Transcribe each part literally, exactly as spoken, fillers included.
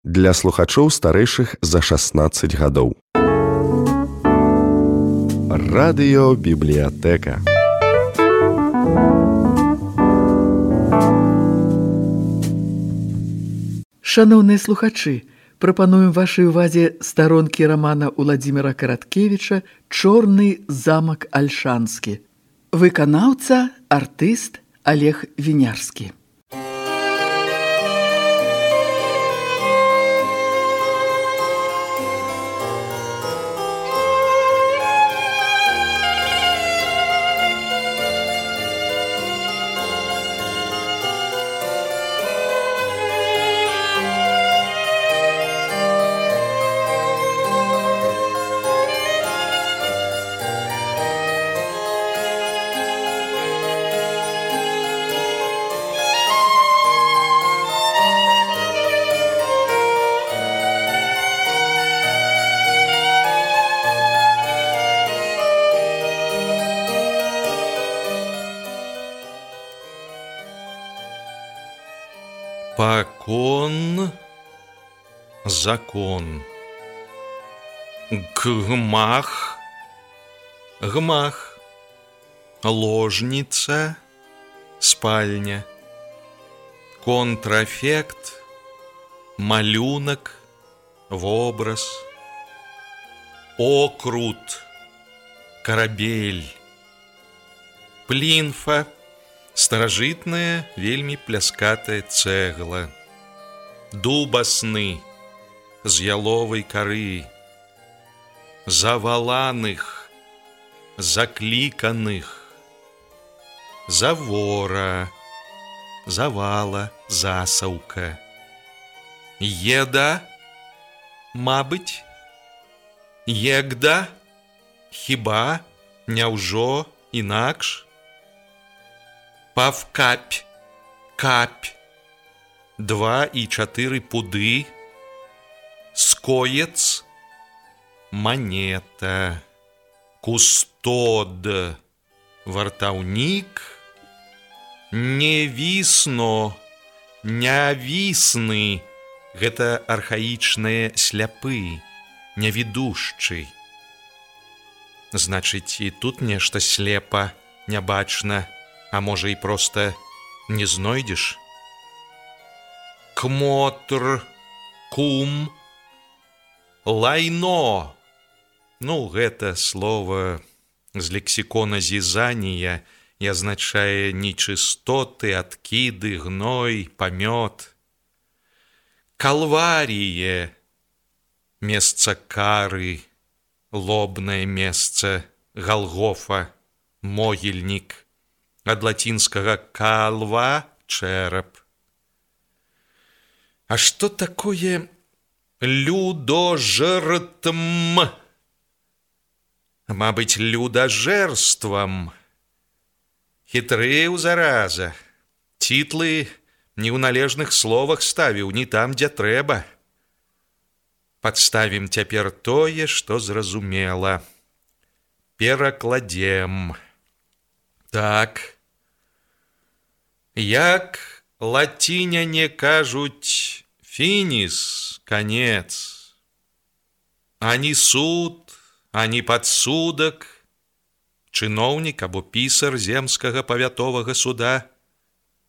для слухачоў старэйшых за шаснаццаць гадоў. Радыёбібліятэка. Шаноўныя слухачы, прапануем вашай увазе старонкі рамана Уладзіміра Караткевіча «Чорны замак Альшанскі». Выканаўца, артыст Олег Вінярскі. Покон, закон. Гмах, гмах. Ложница, спальня. Контрафект, малюнок, вобраз. Окрут, корабель. Плінфа, старажытная, вельмі пляскатая цэгла. Дубасны, з яловай кары. Заваланых, закліканых. Завора, завала, засаўка. Еда, мабыць. Егда, хіба, няўжо, інакш. Павкапь, капь, два і чатыры пуды, скоец, манета, кустод, вартаўнік, невісно, нявісны, гэта архаічныя сляпы, нявідушчы. Значыць, і тут нешта слепа, нябачна. А можа, і проста не знойдзеш? Кмотр, кум, лайно. Ну, гэта слова з лексікона Зізанія і азначае нечыстоты, адкіды, гной, памёт. Калваріе, месца кары, лобнае месца, Галгофа, могільнік. Ад лацінскага калва – чэрап. А што такое людожртм? Мабыць, людажэрствам. Хітрэў, зараза. Цітлы не ў належных словах ставіў, не там, дзе трэба. Падставім цяпер тое, што зразумела. Перакладзем. Так. Як лаціняне кажуць фініс, канец. Ані суд, ані падсудак, чыноўнік або пісар земскага павятовага суда,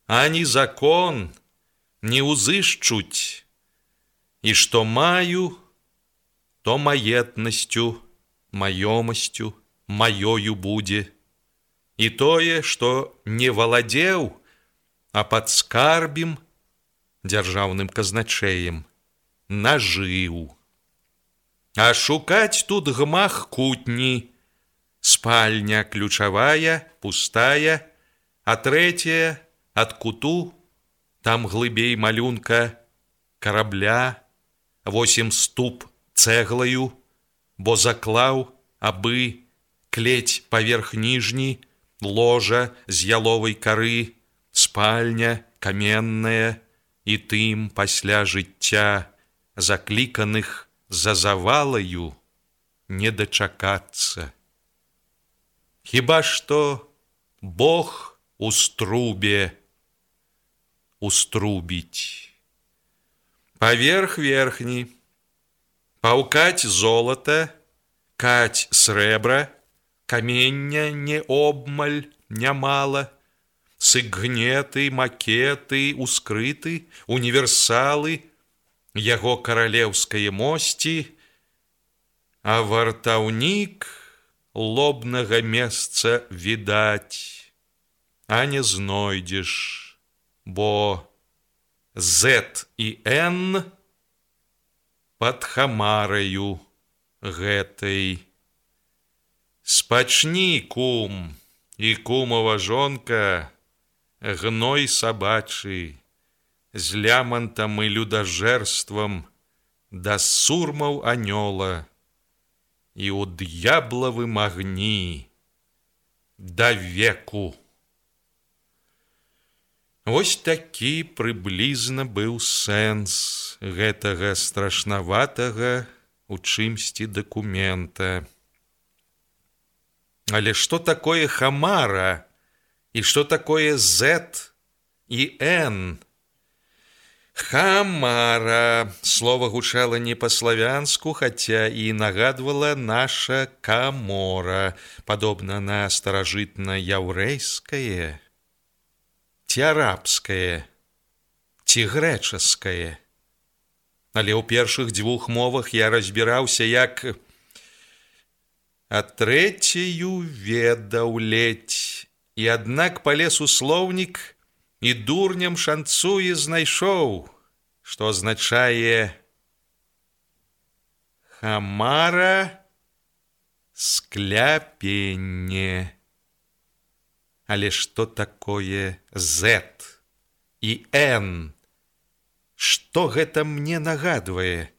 ані закон не ўзышчуць, і што маю, то маетнасцю, маёмасцю, маёю будзе. І тое, што не валадзеў, а падскарбім, дзяржаўным казначэем, нажыў. А шукаць тут гмах кутні, спальня ключавая, пустая, а трэцяя ад куту, там глыбей малюнка карабля, восем ступ цэглаю, бо заклаў, абы клець паверх ніжні, ложа з яловай кары, спальня каменная, і тым пасля жыцця закліканых за завалаю не дачакацца. Хіба што Бог у струбе уструбіць. Паверх верхні, паўкаць золата, каць срэбра, камення не обмаль, нямала, сыгнеты, макеты, ускрыты, універсалы, яго каралеўскае мосці, а вартаўнік лобнага месца відаць, а не знойдзеш, бо Z і N пад хамараю гэтай. Спачні, кум, і кумова жонка, гной сабачы, з лямантам і людажэрствам да сурмаў анёла і ў д'яблавым агні да веку. Вось такі прыблізна быў сэнс гэтага страшнаватага у чымсьці дакумента. Але што такое хамара і што такое Z і N? Хамара. Слова гучала не па-славянску, хаця і нагадвала наша камора, падобна на старажытна-яўрэйскае, ці арабскае, ці грэчаскае. Але ў першых дзвюх мовах я разбіраўся, як а трэцюю ведаў ледзь, і аднак палез у слоўнік і дурням шанцуе знайшоў, што азначае хамара скляпенне. Але што такое Z і N? Што гэта мне нагадвае?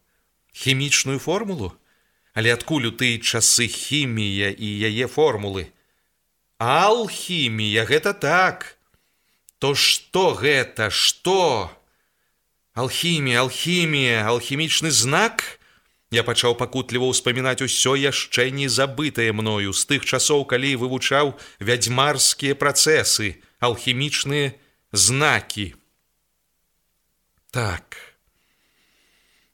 Хімічную формулу? Але адкуль у тыя часы хімія і яе формулы? Алхімія, гэта так. То што гэта? Што? Алхімія, алхімія, алхімічны знак? Я пачаў пакутліва ўспамінаць усё яшчэ не забытае мною з тых часоў, калі вывучаў вядзьмарскія працэсы, алхімічныя знакі. Так,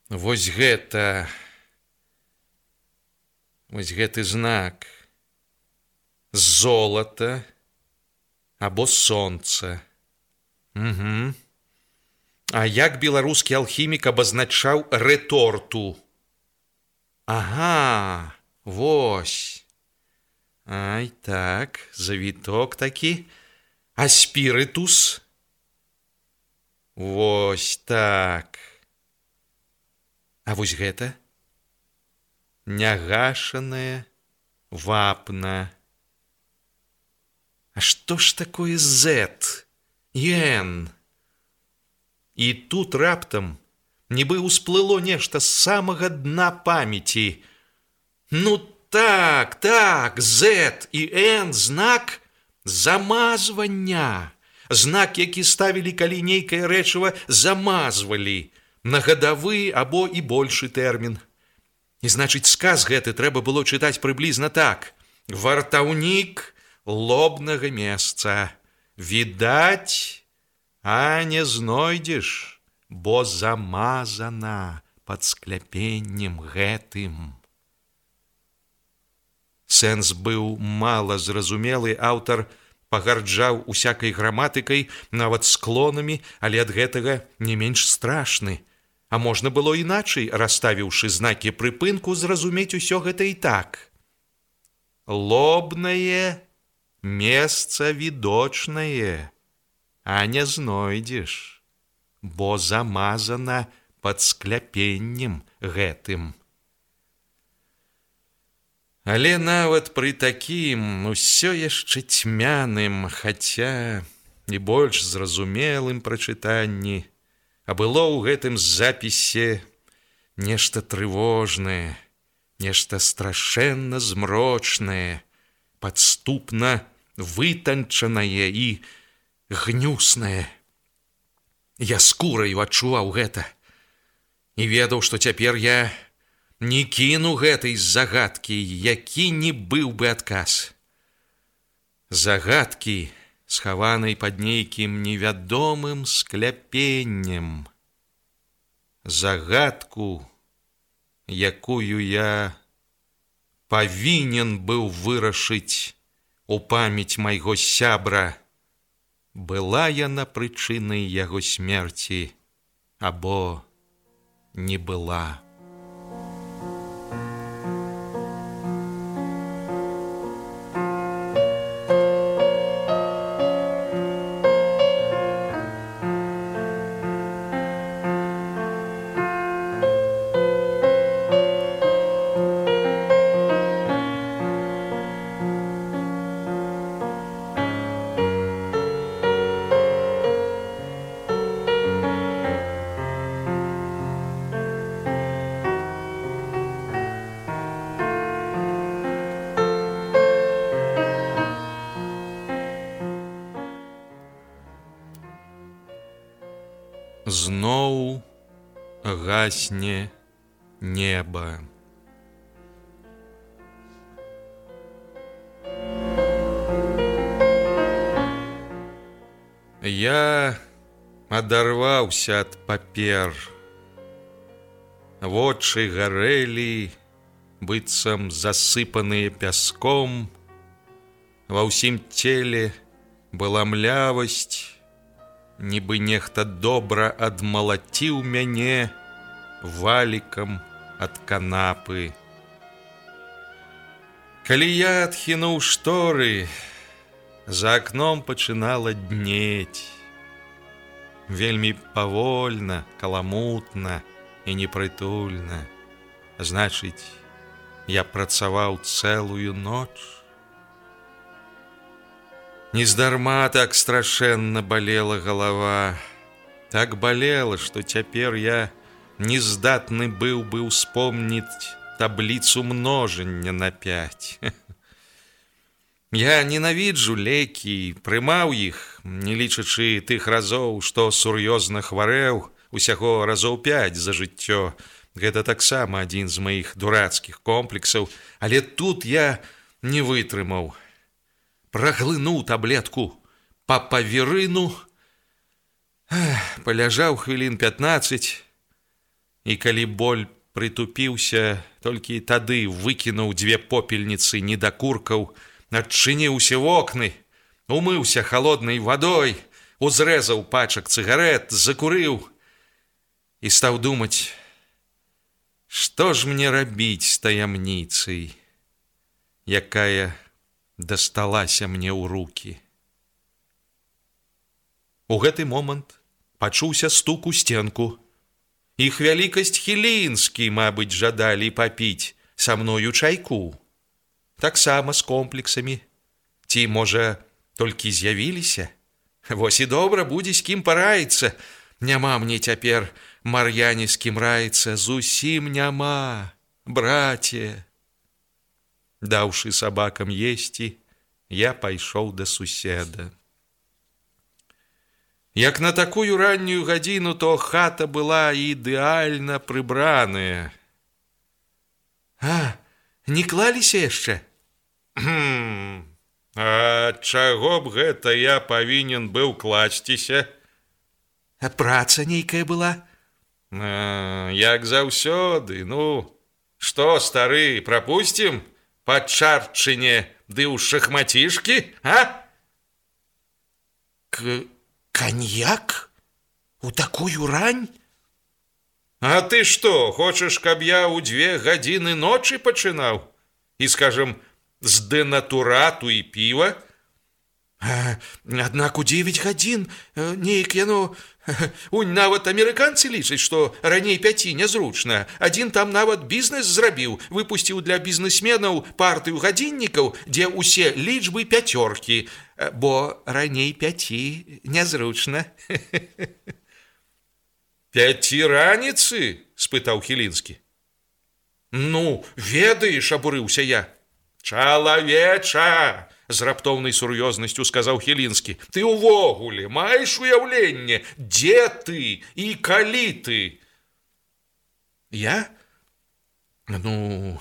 вось гэта, вось гэты знак. Золата або сонца. Угу. А як беларускі алхімік абазначаў рэторту? Ага, вось. Ай, так, завіток такі. А спірытус? Вось так. А вось гэта? Нягашанае вапна. А што ж такое Z і N? І тут раптам нібы ўсплыло нешта з самага дна памяці. Ну так, так, Z і N знак замазвання. Знак, які ставілі, калі нейкае рэчыва замазвалі на гадавы або і большы тэрмін. І значыць, сказ гэты трэба было чытаць прыблізна так. Вартаўнік лобнага месца. Відаць, а не знойдзеш, бо замазана пад скляпеннем гэтым. Сэнс быў мала зразумелы, аўтар пагарджаў усякай граматыкай, нават склонамі, але ад гэтага не менш страшны. А можна было іначай, расставіўшы знакі прыпынку, зразумець усё гэта і так. Лобнае месца відочнае, а не знойдзеш, бо замазана пад скляпеннем гэтым. Але нават пры такім усё яшчэ цьмяным, хаця і больш зразумелым прачытанні, а было ў гэтым запісе нешта трывожнае, нешта страшэнна змрочнае, падступна вытанчанае і гнюснае. Я скураю адчуваў гэта і ведаў, што цяпер я не кіну гэтай загадкі, які не быў бы адказ. Загадкі, схаванай пад нейкім невядомым скляпеннем. загадку, якую я павінен быў вырашыць у памяць майго сябра, была яна прычынай яго смерці або не была. Зноў гасне неба. Я адарваўся ад папер. Вочы гарэлі, быццам засыпаныя пяском. Ва ўсім целе была млявасць, нібы нехта добра адмалаціў мяне валікам ад канапы. Калі я адхінуў шторы, за акном пачынала днець. Вельмі павольна, каламутна і непрытульна. Значыць, я працаваў цэлую ноч. Нездарма так страшэнна балела галава. Так балела, што цяпер я не здатны быў бы ўспомніць табліцу множання на пяць. Я ненавіджу лекі, прымаў іх, не лічачы тых разоў, што сур'ёзна хварэў, усяго разоў пяць за жыццё. Гэта таксама адзін з маіх дурацкіх комплексаў, але тут я не вытрымаў. Праглынуў таблетку па паверыну, паляжаў хвілін пятнаццаць, і калі боль прытупіўся, толькі тады выкінуў дзве попельніцы недакуркаў, адчыніўся вокны, умыўся халоднай вадой, узрэзаў пачак цыгарэт, закурыў і стаў думаць, што ж мне рабіць з таямніцай, якая дасталася мне ў рукі. У гэты момант пачуўся стук у сценку. Іх вялікасць Хілінскі, мабыць, жадалі папіць са мною чайку. Таксама з комплексамі. Ці, можа, толькі з'явіліся? Вось і добра, будзе з кім параіцца. Няма мне цяпер Мар'яне з кім раіцца, зусім няма, браце. Даўшы сабакам есці, я пайшоў да суседа. Як на такую раннюю гадзіну, то хата была ідэальна прыбраная. А, не клаліся яшчэ? А чаго б гэта я павінен быў класціся? А праца нейкая была? А, як заўсёды, ну, што, стары, прапусцім? Па чарчыне ды ў шахмацішкі, а? К... Каньяк? У такую рань? А ты што, хочаш, каб я ў дзве гадзіны ночы пачынаў? І, скажам, з дэнатурату і піва? А, аднак у дзевяць гадзін нейк яно... Унь, нават амерыканцы лічаць, што раней пяці нязручна. Адзін там нават бізнес зрабіў, выпусціў для бізнесменаў партыю гадзіннікаў, дзе ўсе лічбы пяцёркі, бо раней пяці нязручна. Пяці раніцы? Спытаў Хілінскі. Ну, ведаеш, абурыўся я. Чалавеча! З раптоўнай сур'ёзнасцю сказаў Хілінскі. Ты ўвогуле маеш уяўленне, дзе ты і калі ты? Я? Ну,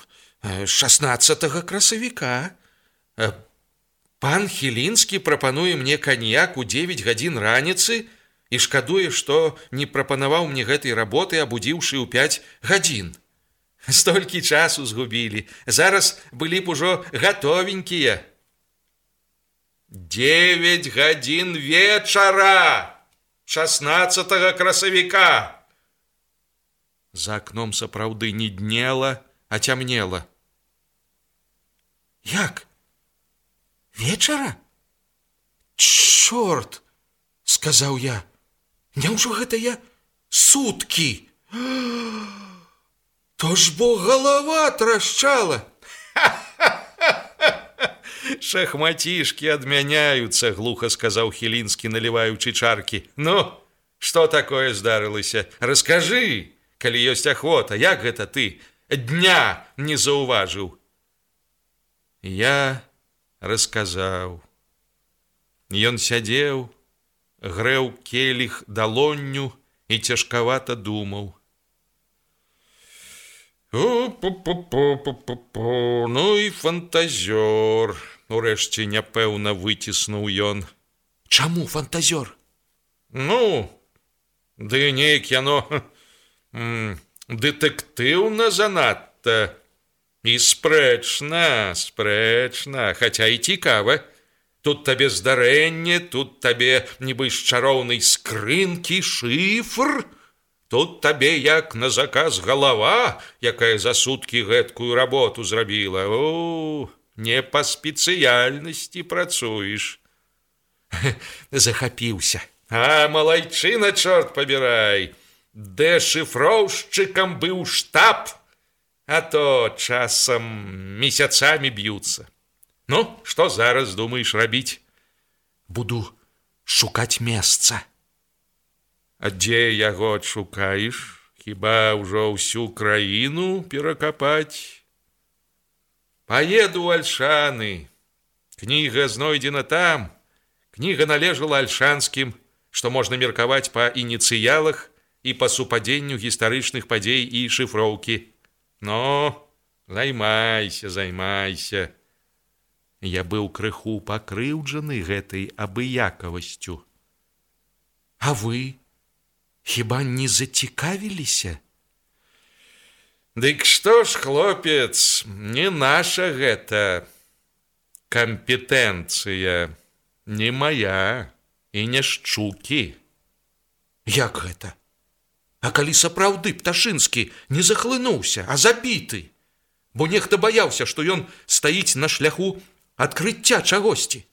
шаснаццатага красавіка. Пан Хілінскі прапануе мне каньяк у дзевяць гадзін раніцы, і шкадуе, што не прапанаваў мне гэтай работы, абудзіўшы ў пяць гадзін. Столькі часу згубілі, зараз былі б ужо гатовенькія. Девять гадзін вечара, шаснаццатага красавіка. За акном сапраўды не днела, а цямнела. Як? Вечара? Чорт, сказаў я. Няўжо гэта я суткі? То ж бо галава трашчала. Шахматішкі адмяняюцца, глуха сказаў Хілінскі, наліваючы чаркі. Ну, што такое здарылася? Раскажы, калі ёсць ахвота, як гэта ты дня не заўважыў? Я расказаў. Ён сядзеў, грэў келіх далонню і цяжкавата думаў. Пу-пу-пу-пу-пу-пу. Ну і фантазёр, урэшце няпэўна выціснуў ён. Чаму фантазёр? Ну, ды неяк яно дэтэктыўна занадта. І спрэчна, спрэчна, хаця і цікава. Тут табе здарэнне, тут табе нібы з чароўнай скрынкі шыфр. Тут табе, як на заказ, галава, якая за суткі гэткую работу зрабіла. О, не па спецыяльнасці працуеш. Захапіўся. А, малайчына, чорт пабірай. Дэшыфроўшчыкам быў штаб, а то часам месяцамі б'юцца. Ну, што зараз думаеш рабіць? Буду шукаць месца. А дзе яго адшукаеш? Хіба ўжо ўсю краіну перакапаць? Паеду ў Альшаны. Кніга знойдзена там. Кніга належала альшанскім, што можна меркаваць па ініцыялах і па супадзенню гістарычных падзей і шыфроўкі. Ну, займайся, займайся. Я быў крыху пакрыўджаны гэтай абыякавасцю. А вы хіба не зацікавіліся? Дык што ж, хлопец, не наша гэта кампетэнцыя, не мая і не шчукі. Як гэта? А калі сапраўды Пташынскі не захлынуўся, а забіты, бо нехта баяўся, што ён стаіць на шляху адкрыцця чагосьці.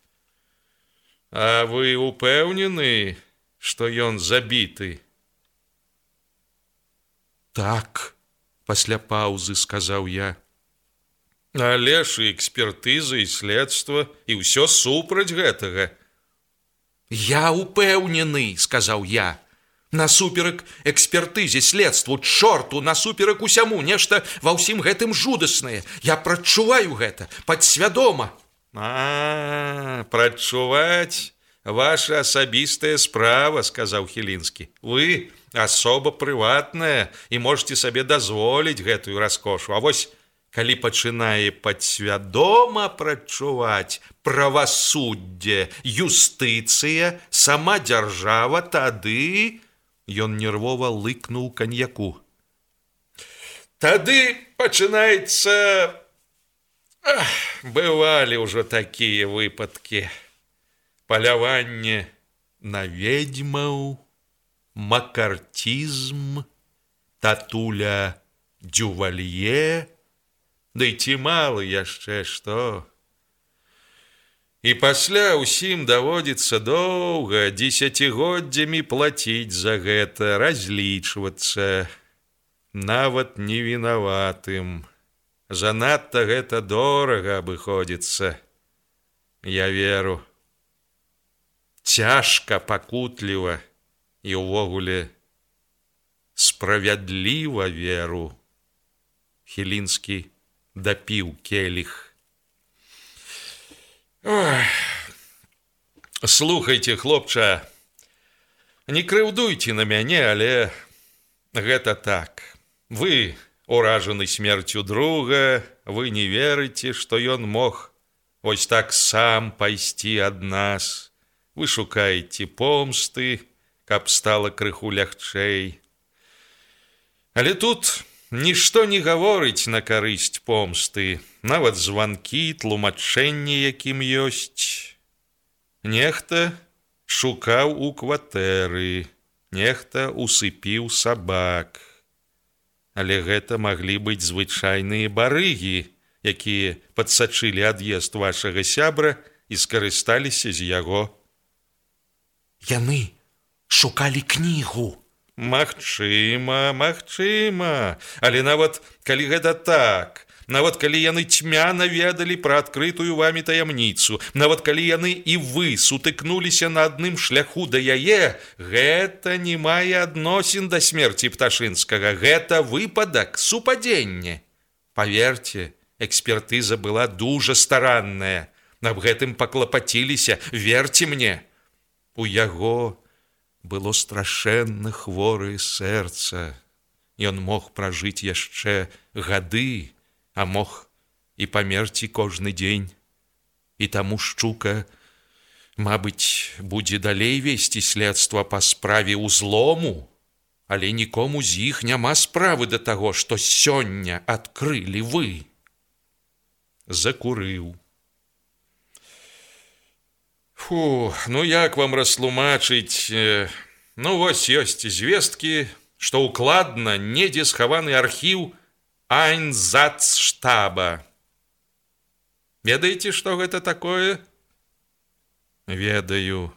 А вы упэўнены, што ён забіты? Так, пасля паўзы сказаў я. Але ж і экспертыза, і следства, і ўсё супраць гэтага. Я упэўнены, сказаў я. Насуперак экспертызе, следству, чорту, насуперак усяму, нешта ва ўсім гэтым жудаснае. Я прачуваю гэта, падсвядома. А, прачуваць ваша асабістая справа, сказаў Хілінскі. Вы асоба прыватная і можете сабе дазволіць гэтую раскошу. А вось, калі пачынае падсвядома прачуваць правасуддзе, юстыцыя, сама дзяржава, тады... Ён нервова лыкнуў каньяку. Тады пачынаецца... Ах, бывалі ўжо такія выпадкі. Паляванне на ведьмаў, макартизм, татуля Дювалье, да і ці мала яшчэ што. І пасля ўсім даводзіцца доўга, дзесяцігоддзямі плаціць за гэта, разлічвацца, нават невінаватым. Занадта гэта дорага абыходзіцца. Я веру. Цяжка, пакутліва і ўвогуле справядліва веру. Хілінскі дапіў келіх. Ой. Слухайте, хлопча, не крыўдуйте на мяне, але гэта так. Вы уражаны смерцю друга, вы не верыце, што ён мог вось так сам пайсці ад нас. Вы шукаеце помсты, каб стала крыху лягчэй. Але тут нішто не гаворыць на карысць помсты, нават званкі, тлумачэнні, якім ёсць. Нехта шукаў у кватэры, нехта усыпіў сабак. Але гэта маглі быць звычайныя барыгі, якія падсачылі ад'езд вашага сябра і скарысталіся з яго. Яны шукалі кнігу. Магчыма, магчыма. Але нават калі гэта так, нават калі яны цьмяна ведалі пра адкрытую вамі таямніцу, нават калі яны і вы сутыкнуліся на адным шляху да яе, гэта не мае адносін да смерці Пташынскага. Гэта выпадак, супадзенне. Паверце, экспертыза была дужа старанная. Аб гэтым паклапаціліся, верце мне. У яго было страшэнна хворае сэрца. Ён мог пражыць яшчэ гады, а мог і памерці кожны дзень. І таму Шчука, мабыць, будзе далей весці следства па справе ўзлому, але нікому з іх няма справы да таго, што сёння адкрылі вы. Закурыў. Фу, ну як вам растлумачыць? Ну вось ёсць звесткі, што укладна недзе схаваны архіў Айнзацштаба. Ведаеце, што гэта такое? Ведаю.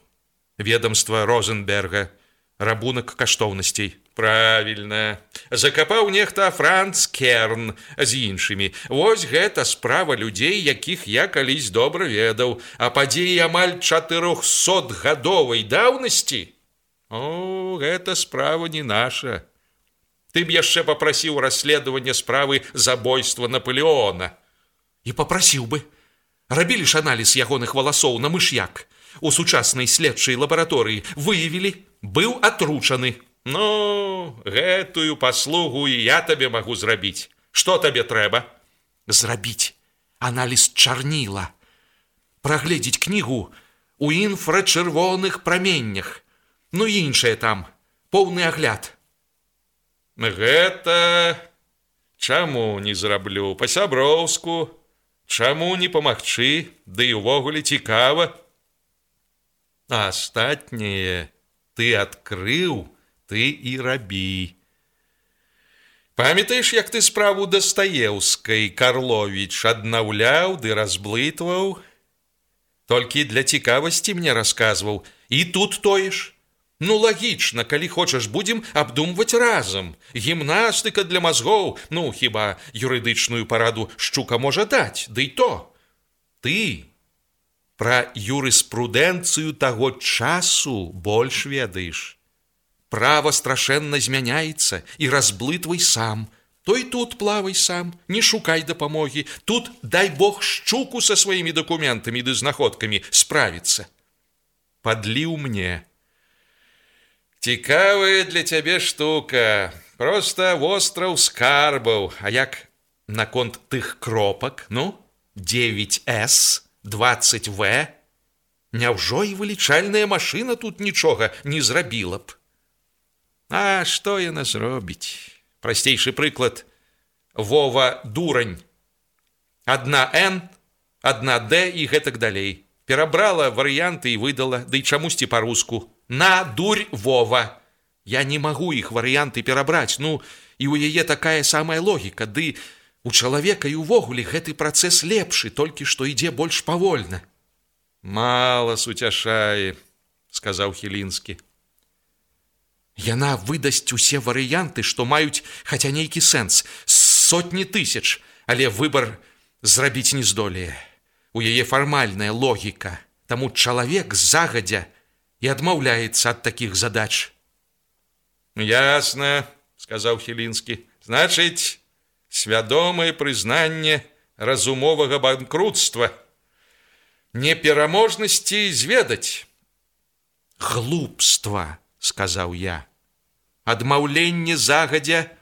Ведомства Розенберга. Рабунак каштоўнасцей. Правільна. Закапаў нехта Франц Керн з іншымі. Вось гэта справа людзей, якіх я калісь добра ведаў. А падзеі амаль чатырохсотгадовай даўнасці? О, гэта справа не наша. Ты б яшчэ папрасіў расследавання справы забойства Наполеона. І папрасіў бы. Рабілі ж аналіз ягоных валасоў на мыш'як. У сучаснай следчай лабараторыі выявілі, быў атручаны. Ну, гэтую паслугу і я табе магу зрабіць. Што табе трэба? Зрабіць аналіз чарніла. Прагледзець кнігу у інфрачырвоных праменнях. Ну і іншае там, поўны агляд. Гэта чаму не зраблю? Па-сяброўску. Чаму не памагчы? Ды і ўвогуле цікава. А астатняе ты адкрыў, ты і рабі. Памятаеш, як ты справу Дастаеўскай Карловіч аднаўляў ды разблытваў? Толькі для цікавасці мне расказваў. І тут тое ж. Ну, лагічна, калі хочаш, будзем абдумваць разам. Гімнастыка для мазгоў, ну, хіба юрыдычную параду Шчука можа даць, ды і то. Ты пра юрыспрудэнцыю таго часу больш ведаеш. Права страшэнна змяняецца, і разблытвай сам. То і тут плавай сам, не шукай дапамогі. Тут, дай Бог, Шчуку са сваімі дакументамі ды знаходкамі справіцца. Падліў мне. Цікавая для цябе штука. Проста востраў скарбаў. А як наконт тых кропак, ну, девять эс, двадцать вэ? Няўжо і вылічальная машына тут нічога не зрабіла б? А што яна зробіць? Прасцейшы прыклад. Вова дурань. Адна Н, адна Д і гэтак далей. Перабрала варыянты і выдала, ды і чамусьці па-руску. На дурь Вова. Я не магу іх варыянты перабраць, ну, і ў яе такая самая логіка, ды у чалавека і ўвогуле гэты працэс лепшы, толькі што ідзе больш павольна. Мала суцяшае, сказаў Хілінскі. Яна выдасць усе варыянты, што маюць хаця нейкі сэнс, сотні тысяч, але выбар зрабіць не здолее. У яе фармальная логіка, таму чалавек загадзя і адмаўляецца ад такіх задач. Ясна, сказаў Хілінскі. Значыць, свядомае прызнанне разумовага банкрутства, непераможнасці зведаць. Глупства, сказаў я. Адмаўленне загадзя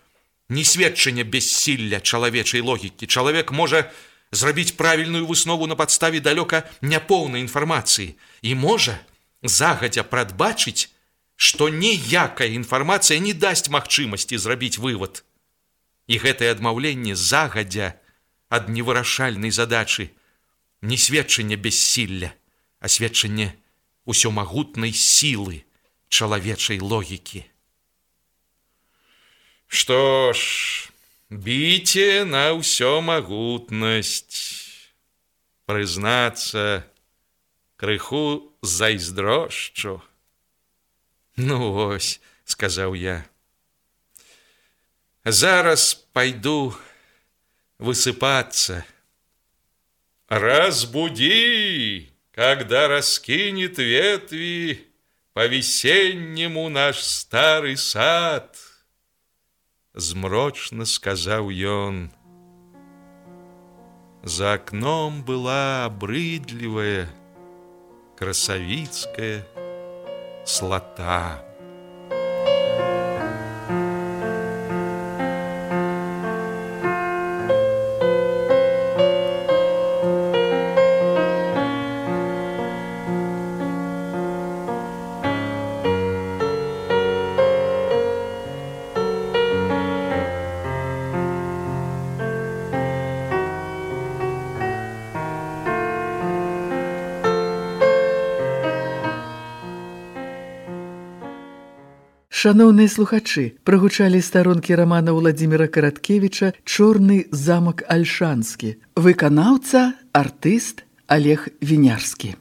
не сведчанне бессілля чалавечай логікі. Чалавек можа зрабіць правільную выснову на падставе далёка няпоўнай інфармацыі і можа загадзя прадбачыць што ніякая інфармацыя не дасць магчымасці зрабіць вывад. І гэтае адмаўленне загадзя ад невырашальнай задачы не сведчанне бессілля, а сведчанне усёмагутнай сілы чалавечай логікі. Што ж, біце на ўсёмагутнасць. Прызнацца, крыху зайздрошчу. Ну вось, сказаў я. Зараз пайду высыпацца. Разбуди, когда раскинет ветви по-весеннему наш старый сад. Змрочна сказаў ён. За окном была обрыдлівая красавіцкая слата. Шаноўныя слухачы, прагучалі старонкі рамана Уладзіміра Караткевіча «Чорны замак Альшанскі». Выканаўца, артыст Олег Вінярскі.